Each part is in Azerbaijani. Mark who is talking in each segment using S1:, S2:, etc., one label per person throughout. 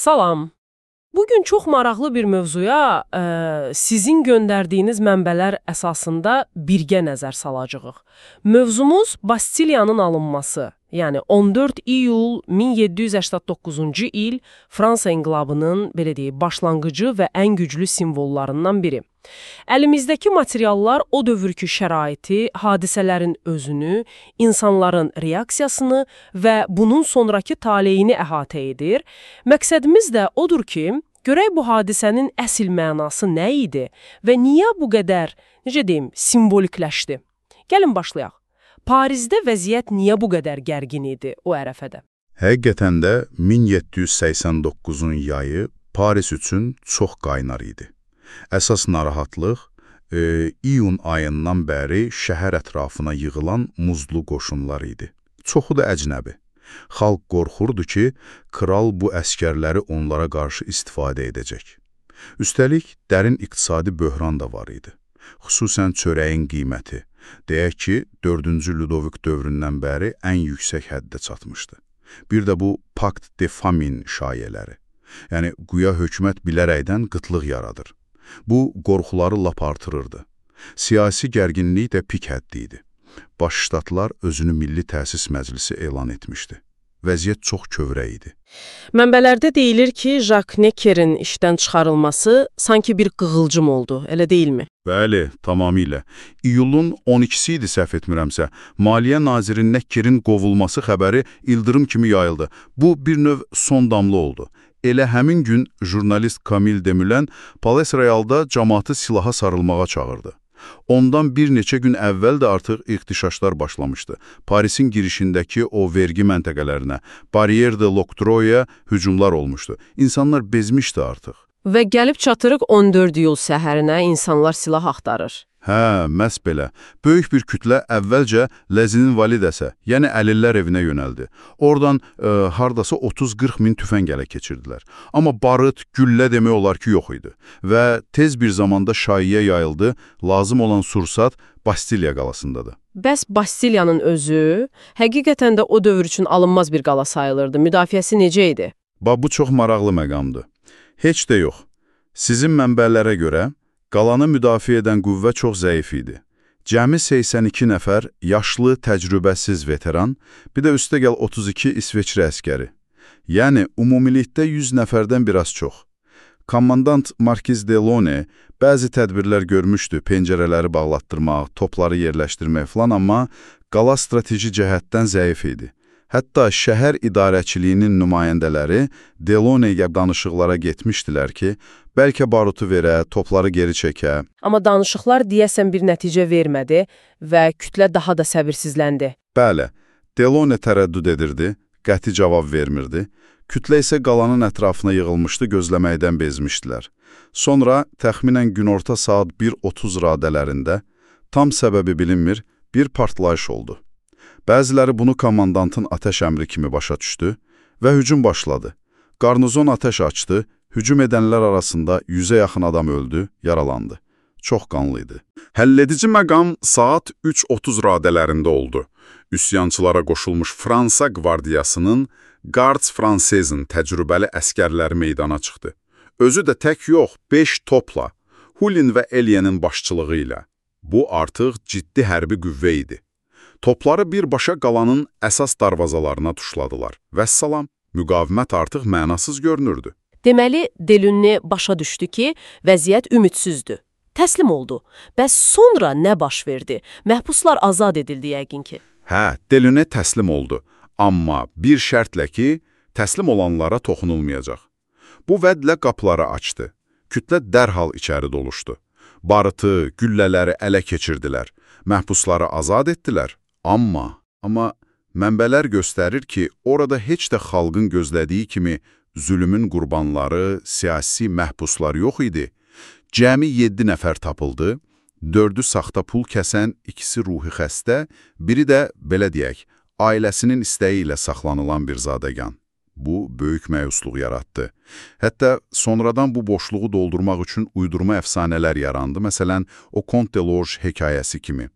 S1: Salam. Bugün çox maraqlı bir mövzuya sizin göndərdiyiniz mənbələr əsasında birgə nəzər salacağıq. Mövzumuz Bastiliyanın alınması, yəni 14 iyul 1789-cu il Fransa inqilabının, belə deyək, başlanğıcı və ən güclü simvollarından biri. Əlimizdəki materiallar o dövrkü şəraiti, hadisələrin özünü, insanların reaksiyasını və bunun sonraki taleyini əhatə edir. Məqsədimiz də odur ki, görək bu hadisənin əsl mənası nə idi və niyə bu qədər, necə deyim, simvolikləşdi? Gəlin başlayaq. Parisdə vəziyyət niyə bu qədər gərgin idi o ərəfədə?
S2: Həqiqətən də 1789-un yayı Paris üçün çox qaynar idi. Əsas narahatlıq iyun ayından bəri şəhər ətrafına yığılan muzlu qoşunlar idi. Çoxu da əcnəbi. Xalq qorxurdu ki, kral bu əskərləri onlara qarşı istifadə edəcək. Üstəlik, dərin iqtisadi böhran da var idi. Xüsusən çörəyin qiyməti. Deyək ki, 4-cü Ludovik dövründən bəri ən yüksək həddə çatmışdı. Bir də bu Pakt de Famine şayələri. Yəni, güya hökumət bilərəkdən qıtlıq yaradır. Bu, qorxuları lap artırırdı. Siyasi gərginlik də pik həddi idi. Baş ştatlar özünü Milli Təsis Məclisi elan etmişdi. Vəziyyət çox kövrək idi.
S1: Mənbələrdə deyilir ki, Jacques Necker'in işdən çıxarılması sanki bir qığılcım oldu, elə deyilmi?
S2: Bəli, tamamilə. İyulun 12-si idi, səhv etmirəmsə, Maliyyə Naziri Necker'in qovulması xəbəri ildırım kimi yayıldı. Bu, bir növ son damla oldu. Elə həmin gün jurnalist Camille Desmoulins Palais Royalda cəmaatı silaha sarılmağa çağırdı. Ondan bir neçə gün əvvəl də artıq ixtişaşlar başlamışdı. Parisin girişindəki o vergi məntəqələrinə, Barrière de l'Octroi hücumlar olmuşdu. İnsanlar bezmişdi artıq.
S1: Və gəlib çatırıq 14 iyul səhərinə insanlar silah axtarır.
S2: Hə, məhz belə. Böyük bir kütlə əvvəlcə Ləzinin validəsə, yəni əlillər evinə yönəldi. Oradan hardasa 30-40 min tüfəng ələ keçirdilər. Amma barıt, güllə demək olar ki, yox idi. Və tez bir zamanda şaiyə yayıldı, lazım olan sursat Bastiliya qalasındadır.
S1: Bəs Bastiliyanın özü, həqiqətən də o dövr üçün alınmaz bir qala sayılırdı. Müdafiəsi necə idi?
S2: Bu çox maraqlı məqamdır. Heç də yox. Sizin mənbələrə görə, qalanı müdafiə edən qüvvə çox zəif idi. Cəmi 82 nəfər yaşlı, təcrübəsiz veteran, bir də üstəgəl 32 İsveçrə əskəri. Yəni, ümumilikdə 100 nəfərdən biraz çox. Kommandant Markiz Delaunay bəzi tədbirlər görmüşdü, pəncərələri bağlatdırmaq, topları yerləşdirmək falan, amma qala strateji cəhətdən zəif idi. Hətta şəhər idarəçiliyinin nümayəndələri Delaunay'ya danışıqlara getmişdilər ki, bəlkə barutu verə, topları geri çəkə.
S1: Amma danışıqlar deyəsən bir nəticə vermədi və kütlə daha da səbirsizləndi.
S2: Bəli, Delaunay tərəddüd edirdi, qəti cavab vermirdi. Kütlə isə qalanın ətrafına yığılmışdı, gözləməkdən bezmişdilər. Sonra təxminən günorta saat 1:30 radələrində, tam səbəbi bilinmir, bir partlayış oldu. Bəziləri bunu komandantın atəş əmri kimi başa düşdü və hücum başladı. Qarnizon atəş açdı, hücum edənlər arasında 100-ə yaxın adam öldü, yaralandı. Çox qanlı idi. Həlledici məqam saat 3:30 radələrində oldu. Üsyançılara qoşulmuş Fransa qvardiyasının Gardes Française'in təcrübəli əskərləri meydana çıxdı. Özü də tək yox, 5 topla, Hulin və Eliyenin başçılığı ilə. Bu artıq ciddi hərbi qüvvə idi. Topları birbaşa qalanın əsas darvazalarına tuşladılar. Vəssalam, müqavimət artıq mənasız görünürdü.
S1: Deməli, Delaunay başa düşdü ki, vəziyyət ümidsizdür. Təslim oldu. Bəs sonra nə baş verdi? Məhbuslar azad edildi yəqin ki.
S2: Hə, Delaunay təslim oldu. Amma bir şərtlə ki, təslim olanlara toxunulmayacaq. Bu vədlə qapıları açdı. Kütlə dərhal içəri doluşdu. Barıtı, güllələri ələ keçirdilər. Məhbusları azad etdilər. Amma mənbələr göstərir ki, orada heç də xalqın gözlədiyi kimi zülümün qurbanları, siyasi məhbuslar yox idi. Cəmi 7 nəfər tapıldı, 4-ü saxta pul kəsən, 2-si ruhi xəstə, biri də, belə deyək, ailəsinin istəyi ilə saxlanılan bir zadəgan. Bu, böyük məyusluq yaratdı. Hətta sonradan bu boşluğu doldurmaq üçün uydurma əfsanələr yarandı. Məsələn, o Comte de Lorge hekayəsi kimi.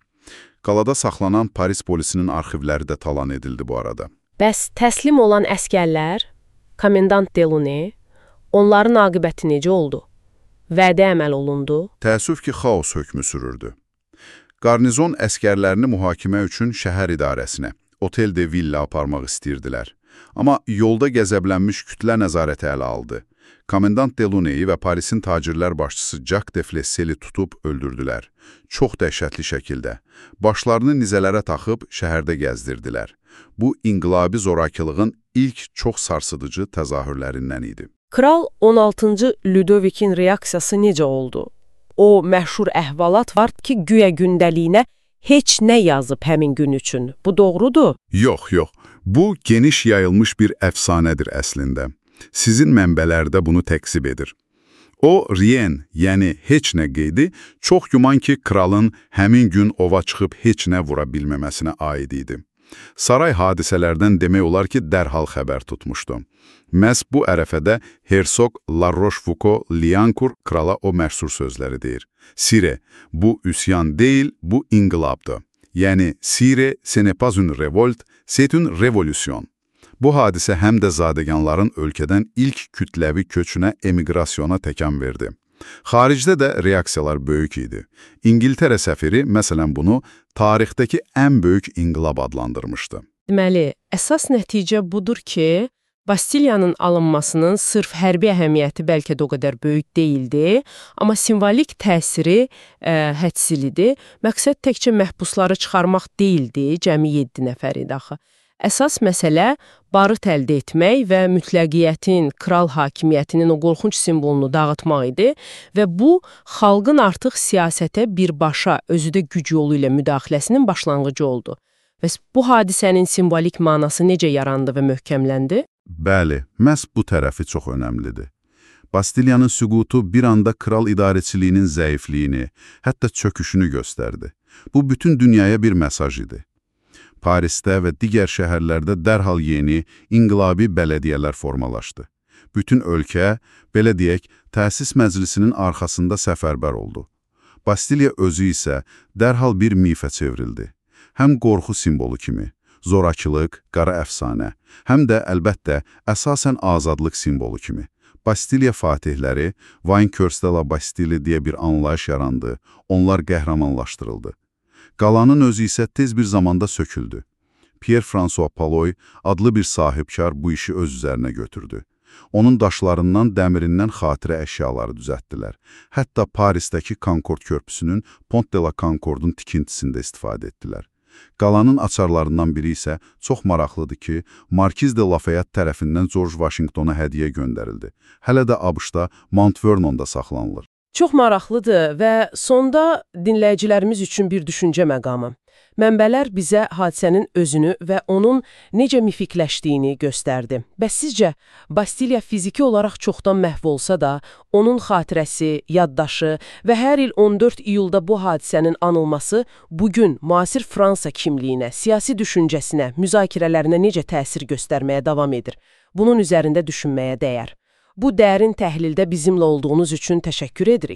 S2: Qalada saxlanan Paris polisinin arxivləri də talan edildi bu arada.
S1: Bəs təslim olan əskərlər, komendant Delaunay, Onların aqibəti necə oldu? Vədə əməl olundu?
S2: Təəssüf ki, xaos hökmü sürürdü. Qarnizon əskərlərini mühakimə üçün şəhər idarəsinə, otel de villa aparmaq istəyirdilər. Amma yolda qəzəblənmiş kütlə nəzarəti ələ aldı. Komendant Deluneyi və Parisin tacirlər başçısı Jacques de Flesseli tutub öldürdülər. Çox dəhşətli şəkildə. Başlarını nizələrə taxıb şəhərdə gəzdirdilər. Bu, inqilabi zorakılığın ilk çox sarsıdıcı təzahürlərindən idi.
S1: Kral 16-cı Ludovikin reaksiyası necə oldu? O məşhur əhvalat var ki, güya gündəliyinə heç nə yazıb həmin gün üçün. Bu doğrudur?
S2: Yox. Bu, geniş yayılmış bir əfsanədir əslində. Sizin mənbələrdə bunu təksib edir. O, rien, yəni heç nə qeydi, çox güman ki, kralın həmin gün ova çıxıb heç nə vura bilməməsinə aid idi. Saray hadisələrdən demək olar ki, dərhal xəbər tutmuşdu. Məhz bu ərəfədə Hersoq La Rochefoucauld-Liancourt krala o məşhur sözləri deyir. Sire, bu üsyan deyil, bu inqilabdır. Yəni, Sire, ce n'est pas une révolte, c'est une révolution. Bu hadisə həm də zadəganların ölkədən ilk kütləvi köçünə, emigrasyona təkan verdi. Xaricdə də reaksiyalar böyük idi. İngiltərə səfiri, məsələn, bunu tarixdəki ən böyük inqilab adlandırmışdı.
S1: Deməli, əsas nəticə budur ki, Bastiliyanın alınmasının sırf hərbi əhəmiyyəti bəlkə də o qədər böyük deyildi, amma simvolik təsiri hədsizlidir. Məqsəd təkcə məhbusları çıxarmaq deyildi, cəmi 7 nəfər idi axı. Əsas məsələ barıt əldə etmək və mütləqiyyətin, kral hakimiyyətinin o qorxunc simvolunu dağıtmaq idi və bu, xalqın artıq siyasətə birbaşa, özü də güc yolu ilə müdaxiləsinin başlanğıcı oldu. Və bu hadisənin simvolik manası necə yarandı və möhkəmləndi?
S2: Bəli, məhz bu tərəfi çox önəmlidir. Bastiliyanın süqutu bir anda kral idarəçiliyinin zəifliyini, hətta çöküşünü göstərdi. Bu, bütün dünyaya bir mesaj idi. Parisdə və digər şəhərlərdə dərhal yeni, inqilabi bələdiyyələr formalaşdı. Bütün ölkə, belə deyək, təsis məclisinin arxasında səfərbər oldu. Bastiliya özü isə dərhal bir mifə çevrildi. Həm qorxu simvolu kimi, zorakılıq, qara əfsanə, həm də əlbəttə əsasən azadlıq simvolu kimi. Bastiliya fatihləri, Vainqueurs de la Bastille deyə bir anlayış yarandı, onlar qəhrəmanlaşdırıldı. Qalanın özü isə tez bir zamanda söküldü. Pierre-François Paloy adlı bir sahibkar bu işi öz üzərinə götürdü. Onun daşlarından, dəmirindən xatirə əşyaları düzəltdilər. Hətta Parisdəki Concorde körpüsünün Pont de la Concordun tikintisində istifadə etdilər. Qalanın açarlarından biri isə çox maraqlıdır ki, Markiz de Lafayette tərəfindən George Washingtona hədiyyə göndərildi. Hələ də ABŞ-da Mount Vernon'da saxlanılır.
S1: Çox maraqlıdır və sonda dinləyicilərimiz üçün bir düşüncə məqamı. Mənbələr bizə hadisənin özünü və onun necə mifikləşdiyini göstərdi. Bəs sizcə, Bastiliya fiziki olaraq çoxdan məhv olsa da, onun xatirəsi, yaddaşı və hər il 14 iyulda bu hadisənin anılması bugün müasir Fransa kimliyinə, siyasi düşüncəsinə, müzakirələrinə necə təsir göstərməyə davam edir? Bunun üzərində düşünməyə dəyər. Bu dərin təhlildə bizimlə olduğunuz üçün təşəkkür edirik.